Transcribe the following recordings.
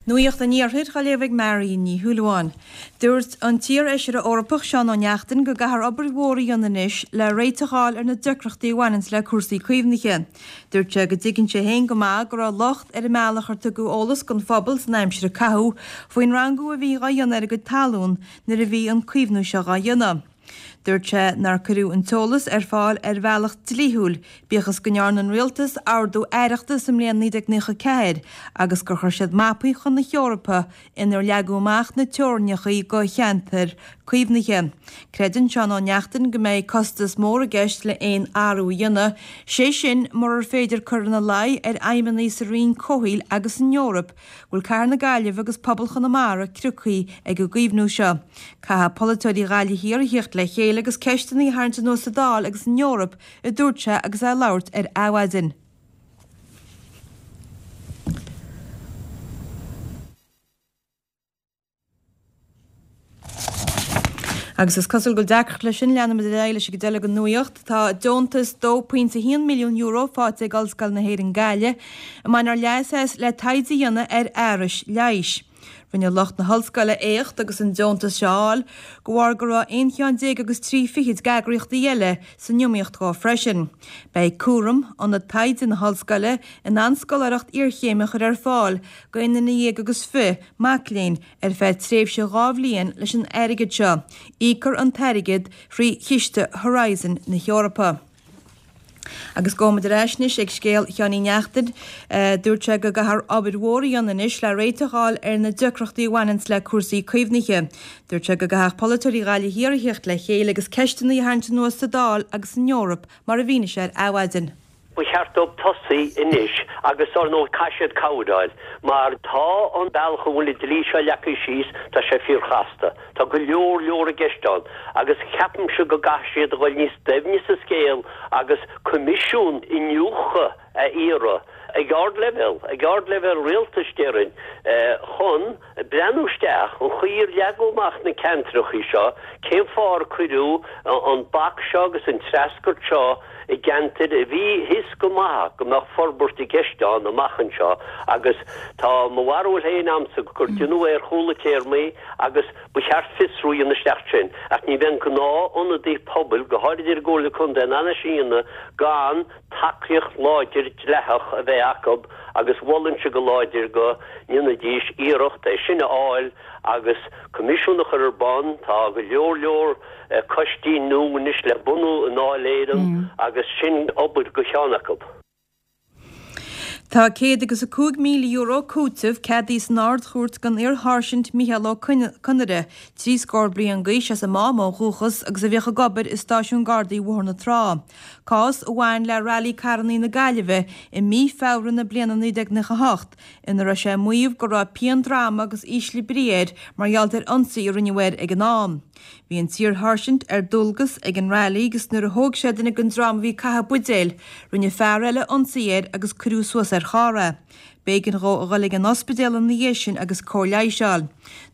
Nuacht an Iarthair á léamh ag Marion Ní Shúilleabháin. Dúirt an t-iarFheisire Eorpach Seán Ó Neachtain go gcaithfear obair mhór a dhéanamh anois le réiteach a fháil ar na deacrachtaí a bhaineanns le cúrsaí caomhnaithe. Dúirt sé go dtuigeann sé féin go maith go raibh locht ar an mbealach ar tugadh eolas don phobal san aimsir a caitheadh faoin rangú a bhí dhá dhéanamh ar a gcuid talún nuair a bhí an caomhnú seo dhá dhéanamh. Dúirt sé nár cuireadh an t-eolas ar fáil ar bhealach dlíthiúil, bíodh is go ndearna an rialtas ordú aireachta sa mbliain 1994 agus gur chuir siad mapaí chun na hEorpa inar leagadh amach na teorainneacha do cheantair caomhnaithe. Creideann Seán Ó Neachtain go mbeidh costas mór i gceist le aon athrú a dhéanamh, sé sin murar féidir cur ina luí ar fheidhmeannaigh sa Roinn Comhshaoil agus san Eoraip go bhfuil Cathair na Gaillimhe agus pobal Chonamara criocthaí ag an gcaomhnú seo. Caithfidh polaiteoirí Ghaillimh Thiar a thíocht le chéile agus ceisteanna a tharraingt anuas sa Dáil agus san Eoraip, a dúirt sé agus é ag labhairt ar Adhmhaidin. Agus is cosúil go bhfuil deacracht leis sin, leanfaimid ar aghaidh leis an gcuid eile den nuacht. Tá deontas €2.1 milliún faighte ag Ollscoil na hÉireann Gaillimh, a mbainfear leas as le taighde a dhéanamh ar fhearais leighis. Rinne lucht na hollscoile éacht agus an deontas seo a fháil, de bharr go raibh aon cheann déag agus 30 d'eagraíochtaí eile san iomaíocht dhó freisin. Beidh Cúram, ionad taighde na hollscoile, in ann scoláireacht iarchéime a chur ar fáil d'aon duine dhéag agus fi mac léinn ar feadh tréimhse 2 bhliain leis an airgead seo. Íocfar an t-airgead thrí Chiste Horizon na hEorpa. Agus gabhfaimid ar ais anois ag scéal Sheáin Uí Neachtain. Dúirt sé go gcaithfear obair mhór a dhéanamh anois le réiteach a fháil ar na deacrachtaí a bhaineanns le cúrsaí caomhnaithe. Dúirt sé go gcaithfeadh polaiteoirí Ghaillimh Thiar a thíocht le chéile agus ceisteanna a tharraingt anuas sa Dáil agus san Eoraip mar a mhínigh sé ar Adhmhaidin. Ba cheart dóibh tosaí anois agus ar ndóigh caithfidh siad cabhair a fháil mar tá an bealach a bhfuil an dlí seo leagtha síos, tá sé fíorchasta. Tá go leor leor i gceist ann agus ceapaimse go gcaithfidh siad a dhul níos doimhne sa scéal agus coimisiún iniúchadh a iarraidh ag ardleibhéal, ag ardleibhéal rialtais déarfainn, chun breathnú isteach an chaoi ar leagadh amach na ceantracha seo, cén fáth ar cuireadh an bac seo agus an treascairt seo i gceantair a bhí thíos go maith go mbeadh forbairt i gceist ann amach anseo agus tá mo bharúil féin a'msa gur déanadh é ar chúl na téarmaí agus ba cheart fiosrú a dhéanamh isteach sin ach ní bheidh an gnáth ionadaí pobail, go háirid ar an gComhairle Contae, in ann é sin a dhéanamh gan tacaíocht láidir dleathach a bheith acu agus mholfainnse go láidir go ndéanfaidís iarracht é sin a fháil agus coimisiún a chur ar bun. Tá go leor leor coistí nua anois le bunú i nDáil Éireann agus sin obair do cheann acu. Tá €105,000 cúiteamh ceadaithe san Ard-Chúirt don iar-sháirsint Mícheál Ó Conaire, 60 bliain d'aois as an Mám ó dhúchas agus a bhíodh ag obair i Stáisiún Gardaí Bhóthar na Trá. Cás a bhain le Railí Carrannaí na Gaillimhe i mí Feabhra na bliana 1998 ina raibh sé ag maíomh go raibh pian droma agus ísle brí air mar gheall ar ionsaí a rinneadh air ag an am. Bhí an t-iar-sháirsint ar dualgas ag an railí agus nuair a thóg sé duine den dream a bhí ag caitheamh buidéil, rinne fear eile ionsaí air agus cuireadh suas ar charr é. B'éigean dhó a dhul ag an ospidéal ina dhiaidh sin agus cóir leighis a fháil.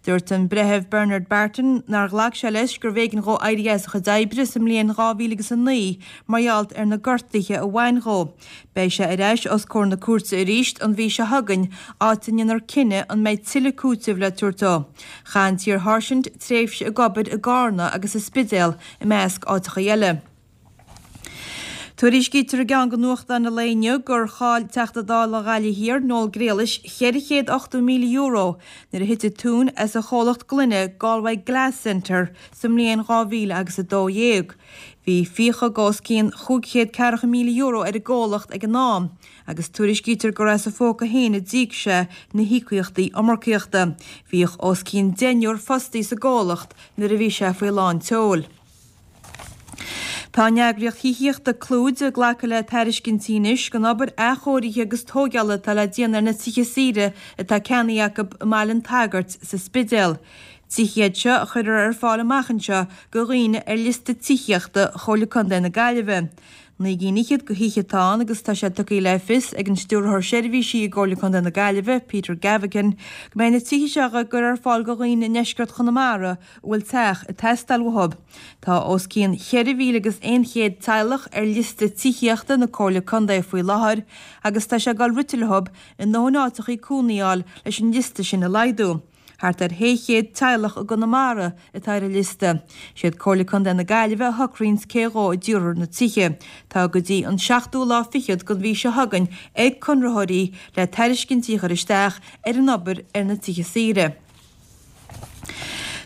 Dúirt an Breitheamh Bernard Barton nár ghlac sé leis gurbh éigean dhó éirí as a chuid oibre sa mbliain 2009 mar gheall ar na gortuithe a bhain dhó. Beidh sé ar ais os comhair na cúirte arís an mhí seo chugainn, áit a ndéanfar cinneadh an mbeidh tuilleadh cúitimh le tabhairt dó. Chaith an t-iar-sháirsint tréimhse ag obair i gCarna agus sa Spidéal, i measc áiteachaí eile. Tuairiscítear i gceann de nuachtáin an lae inniu gur chaill Teachta Dála Ghaillimh Thiar, Noel Grealish, €480,000 nuair a thit an tóin as a chomhlacht gloine Galway Glass Centre sa mbliain 2000 agus 12. Bhí fiacha de os cionn €540,000 ar an gcomhlacht ag an am agus tuairiscítear gur as a phóca féin a d'íoc sé na híocaíochtaí iomarcaíochta. Bhíodh os cionn deichniúr fostaí sa gcomhlacht nuair a bhí sé faoi lán tseoil. Tá an eagraíocht thithíochta Clúid ag glacadh le tairiscintí anois don obair athchóirithe agus tóigeála atá le déanamh ar na tithe saoire atá ceannaithe acu i mBaile an tSagairt sa Spidéal. Tithe iad seo a chuirfear ar fáil amach anseo do dhaoine ar liosta tithíochta Chomhairle Contae na Gaillimhe. 9 gcinn fhichead de thithe atá ann agus tá sé tugtha le fios ag an Stiúrthóir Seirbhísí i gComhairle Contae na Gaillimhe, Peter Gavigan, go mbeidh na tithe seo á gcur ar fáil do dhaoine i ndeisceart Chonamara a bhfuil teach ag teastáil uathu. Tá os cionn 4,000 agus 100 teaghlach ar liosta tithíochta na Comhairle Contae faoi láthair agus tá sé ag dul rite leo a ndóthain áiteachaí cónaí a fháil leis an liosta sin a laghdú. Thart ar 600 teaghlach i gConamara atá ar an liosta. Siad Comhairle Contae na Gaillimhe a shocraíonns cé dhó a dtabharfar na tithe. Tá go dtí an seachtú lá fichead den mhí seo chugainn ag conraitheoirí le tairiscintí a chur isteach ar an obair ar na tithe saoire.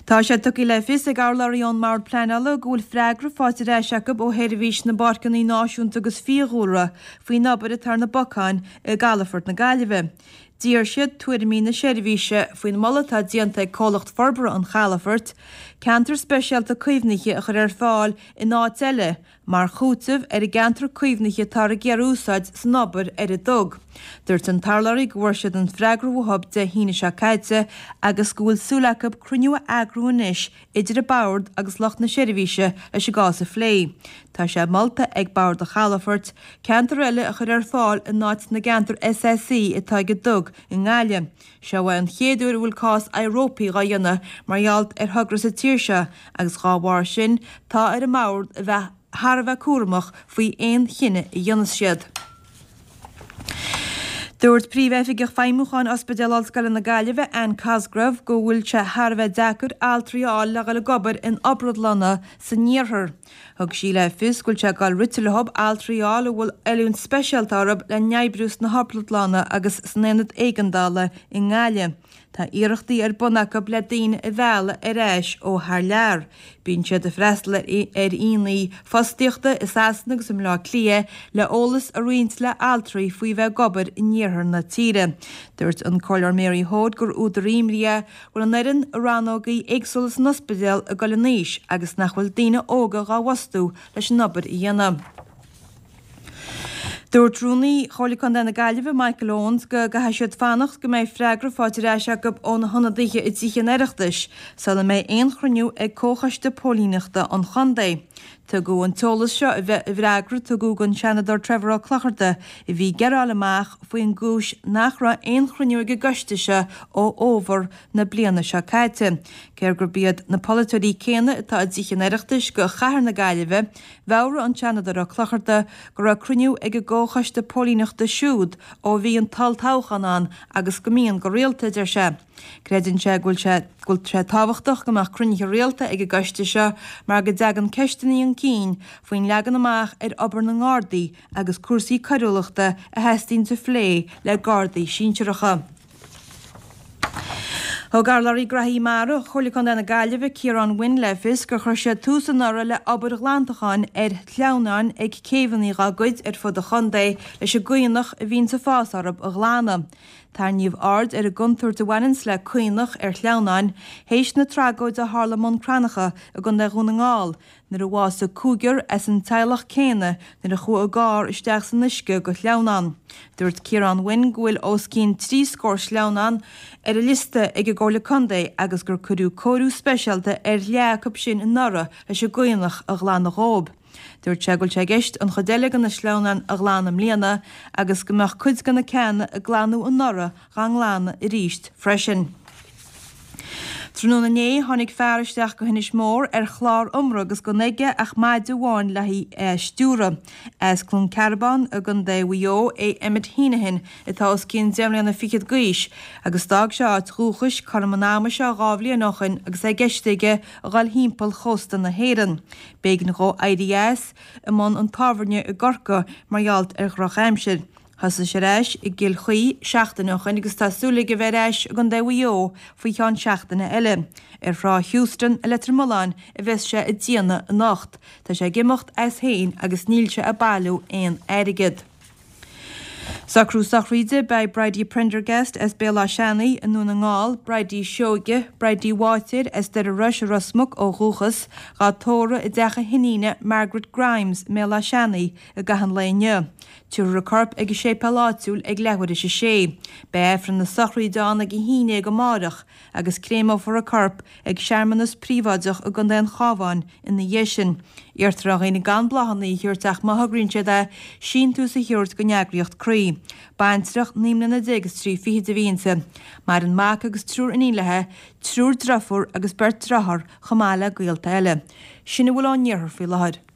Tá sé tugtha le fios ag urlabhraí ón mBord Pleanála go bhfuil freagra faighte ar ais acu ó Sheirbhís na bPáirceanna Náisiúnta agus Fiadhúlra faoin obair atá ar na bacáin i gcalafort na Gaillimhe. D'iarr siad tuairimí na seirbhíse faoin moladh atá déanta ag Comhlacht Forbartha an Chalafoirt ceantar speisialta caomhnaithe a chur ar fáil in áit eile mar chúiteamh ar an gceantar caomhnaithe atáthar ag iarraidh a úsáid san obair ar an dug. Dúirt an t-urlabhraí go bhfuair siad an freagra uathu Dé hAoine seo caite agus go bhfuil súil acu cruinniú a eagrú anois idir an Bord agus lucht na seirbhíse leis an gcás a phlé. Tá sé molta ag Bord an Chalafoirt ceantar eile a chur ar fáil in áit na gceantar SSE atá ag an dug i nGaillimh. Seo é an chéad uair a bhfuil cás éireopaí dhá dhéanamh mar gheall ar thogra sa tír seo agus dhá bharr sin tá ar an mBord a bheith thar a bheith cúramach faoi aon chinneadh a dhéanfas siad. Dúirt Príomh-Oifigeach Feidhmiúcháin Ospidéal Ollscoile na Gaillimhe, Anne Cosgrave, go bhfuil sé thar a bheith deacair altraí a fháil le dhul ag obair in obradlanna san iarthar. Thug sí le fios go bhfuil sé ag dul rite leo altraí a fháil a bhfuil oiliúint speisialta orthu le n-oibriú sna hobradlanna agus san aonad éigeandála i nGaillimh. Tá iarrachtaí ar bun acu le daoine a mhealladh ar ais ó thar lear. Bíonn siad ag freastal ar aonaigh fostaíochta i Sasana agus i mBleá Cliath le eolas a roinnt le altraí faoi bheith ag obair in iarthar na tíre. Dúirt an Comhairleoir Mary Hoade gur údar imní é go bhfuil an fhoireann i rannógaí éagsúla san ospidéal ag dul in aois agus nach bhfuil daoine óga dhá bhfostú leis an obair a dhéanamh. Dúirt Rúnaí Chomhairle Contae na Gaillimhe, Michael Owens, go gcaithfidh siad fanacht go mbeidh freagra faighte ar ais acu ó na hionadaithe i dTithe an Oireachtais sula mbeidh aon chruinniú ag Comhchoiste Póilíneachta an Chontae. Tugadh an t-eolas seo i bhfreagra a tugadh don Seanadóir Trevor Ó Clochartaigh a bhí ag gearán amach faoin gcúis nach raibh aon chruinniú ag an gcoiste seo ó fhómhar na bliana seo caite. Cé gurb iad na polaiteoirí céanna atá i dTithe an Oireachtais do chathair na Gaillimhe, Mheabhraigh an Seanadóir Ó Clochartaigh go raibh cruinniú ag an gComhchoiste Póilíneachta siúd ó bhí an t-olltoghchán ann agus go mbíonn go rialta, a deir sé. Creideann sé go bhfuil sé go bhfuil sé tábhachtach go mbeadh cruinnithe rialta ag an gcoiste seo mar go dtagann ceisteanna chun cinn faoin leagan amach ar obair na nGardaí agus cúrsaí coiriúlachta a theastaíonn a phlé le Gardaí sinsearacha. Thug Urlabhraí Graithí Mara Chomhairle Contae na Gaillimhe, Ciarán Wynne le fios gur chuir siad tús anuraidh le obair ghlantacháin ar shleamhnáin ag céibheanna dhá gcuid ar fud an chontae leis an gcaonach a bhíonns ag fás orthu a ghlanadh. Tarraingíodh aird ar an gcontúirt a bhaineanns le caonach ar shleamhnáin théis na tragóide a tharla i mBun Cranncha i gContae Dhún na nGall nuair a bhásaigh cúigear as an teaghlach céanna nuair a chuaigh a gcarr isteach san uisce go shleamhnán. Dúirt Ciarán Wynne go bhfuil os cionn 30 scór sleamhnán ar an liosta ag an gComhairle Contae agus gur cuireadh cóiriú speisialta ar leath acu sin anuraidh leis an gcaonach a ghlanadh dhóib. Dúirt sé go bhfuil sé i gceist an chuid eile de na sleamhnáin a ghlanadh i mbliana agus go mbeadh cuid de na ceanna a glanadh anuraidh dhá nglanadh arís freisin. Tráthnóna inné tháinig fear isteach go hInis Mór ar chlár iomraidh agus gan aige ach maide amháin le haghaidh a stiúradh. As Cluain Cearbán i gContae Mhaigh Eo é Emmet Heneghan atá os cionn deich mbliana fichead d'aois agus d'fhág sé a áit dhúchais cothrom an ama seo 2 bhliain ó shoin agus é i gceist aige a dhul thimpeall chósta na hÉireann. B'éigean dhó éirí as i mbun an tábhairne i gCorcaigh mar gheall ar dhroch-aimsir. Thosaigh sé ar ais i gCill Chaoi seachtain ó shoin agus tá súil aige bheith ar ais i gContae Mhaigh Eo faoi cheann seachtaine eile. Ar thrá Heuston i Leitir Mealláin a bheas sé ag déanamh anocht. Tá sé ag imeacht as féin agus níl sé ag bailiú aon airgead. Socrú sochraide, Beidh Bridie Prendergast as Béal Átha Seanaidh i nDún na nGall, Bridie Seoige, Bridie Bháitéir as Doire Rois i Ros Muc ó dhúchas, dhá tórramh i dteach a hiníne Margaret Grimes i mBéal Átha Seanaidh i gcaitheamh an lae inniu. Tabharfar a corp ag an séipéal áitiúil ag leathuair théis a sé. Beidh Aifreann na sochraide ann ag a haon dhéag amáireach agus créamófar a corp ag searmanas príobháideach i gContae an Chabháin ina dhiaidh sin. Iarrtar ar dhaoine gan bláthanna a thabhairt ach má thograíonn siad é, síntiús a thabhairt don eagraíocht Croí. Baintreach 19 mbliana is 3 fichid a bhí inti. Maireann mac agus triúr iníon léi, triúr driofúr agus beirt driotháir chomh maith le gaolta eile. Sin a bhfuil ón iarthar faoi láthair.